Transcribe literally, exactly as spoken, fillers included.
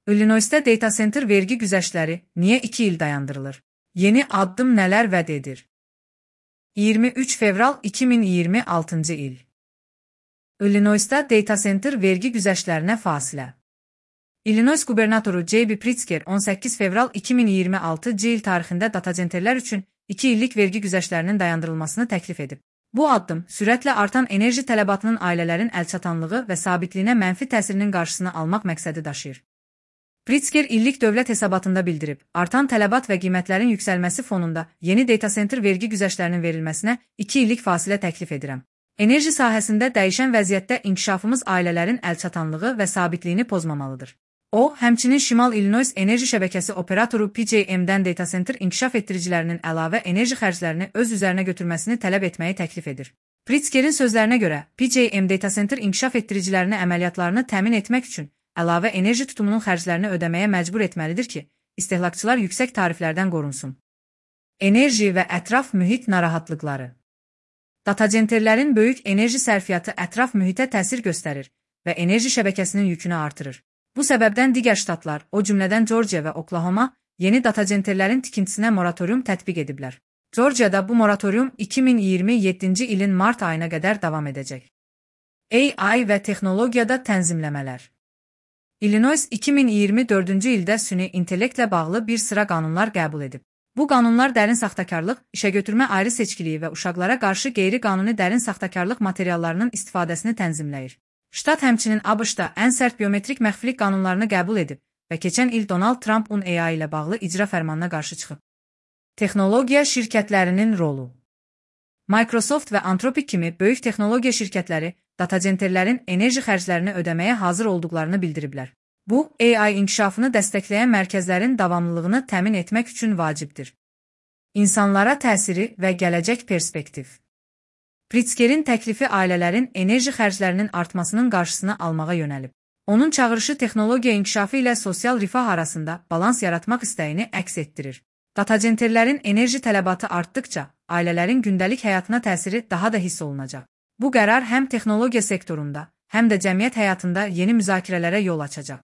Illinois'ta data center vergi güzəştləri niyə iki il dayandırılır? Yeni addım nələr vəd edir? iyirmi üç fevral iki min iyirmi altıncı il. Illinois'ta data center vergi güzəştlərinə fasilə. Illinois qubernatoru J B Pritzker on səkkiz fevral iki min iyirmi altıncı il tarixində data centerlər üçün iki illik vergi güzəştlərinin dayandırılmasını təklif edib. Bu addım sürətlə artan enerji tələbatının ailələrin əlçatanlığı və sabitliyinə mənfi təsirinin qarşısını almaq məqsədi daşıyır. Pritzker illik dövlət hesabatında bildirib, artan tələbat və qiymətlərin yüksəlməsi fonunda yeni data center vergi güzəştlərinin verilməsinə iki illik fasilə təklif edirəm. Enerji sahəsində dəyişən vəziyyətdə inkişafımız ailələrin əlçatanlığı və sabitliyini pozmamalıdır. O, həmçinin Şimal Illinois enerji şəbəkəsi operatoru P J M-dən data center inkişaf etdiricilərinin əlavə enerji xərclərini öz üzərinə götürməsini tələb etməyi təklif edir. Pritzkerin sözlərinə görə, P J M data center inkişaf etdiricilərini əməliyyatlarını təmin etmək üçün əlavə enerji tutumunun xərclərini ödəməyə məcbur etməlidir ki, istehlakçılar yüksək tariflərdən qorunsun. Enerji və ətraf mühit narahatlıqları. Data centerlərin böyük enerji sərfiyyatı ətraf mühitə təsir göstərir və enerji şəbəkəsinin yükünü artırır. Bu səbəbdən digər ştatlar, o cümlədən Georgia və Oklahoma, yeni data centerlərin tikintisinə moratorium tətbiq ediblər. Georgiada bu moratorium iki min iyirmi yeddinci ilin mart ayına qədər davam edəcək. A I və texnologiyada tənzimləmələr. Illinois iki min iyirmi dördüncü ildə süni intellektlə bağlı bir sıra qanunlar qəbul edib. Bu qanunlar dərin saxtakarlıq, işəgötürmə ayrı seçkiliyi və uşaqlara qarşı qeyri-qanuni dərin saxtakarlıq materiallarının istifadəsini tənzimləyir. Ştat həmçinin ABŞ-da ən sərt biometrik məxfilik qanunlarını qəbul edib və keçən il Donald Trump'un A I ilə bağlı icra fərmanına qarşı çıxıb. Texnologiya şirkətlərinin rolu. Microsoft və Anthropic kimi böyük texnologiya şirkətləri data centerlərin enerji xərclərini ödəməyə hazır olduqlarını bildiriblər. Bu, A I inkişafını dəstəkləyən mərkəzlərin davamlılığını təmin etmək üçün vacibdir. İnsanlara təsiri və gələcək perspektiv. Pritzkerin təklifi ailələrin enerji xərclərinin artmasının qarşısını almağa yönəlib. Onun çağırışı texnologiya inkişafı ilə sosial rifah arasında balans yaratmaq istəyini əks etdirir. Data centerlərin enerji tələbatı artdıkca, ailələrin gündəlik həyatına təsiri daha da hiss olunacaq. Bu qərar həm texnologiya sektorunda, həm də cəmiyyət həyatında yeni müzakirələrə yol açacaq.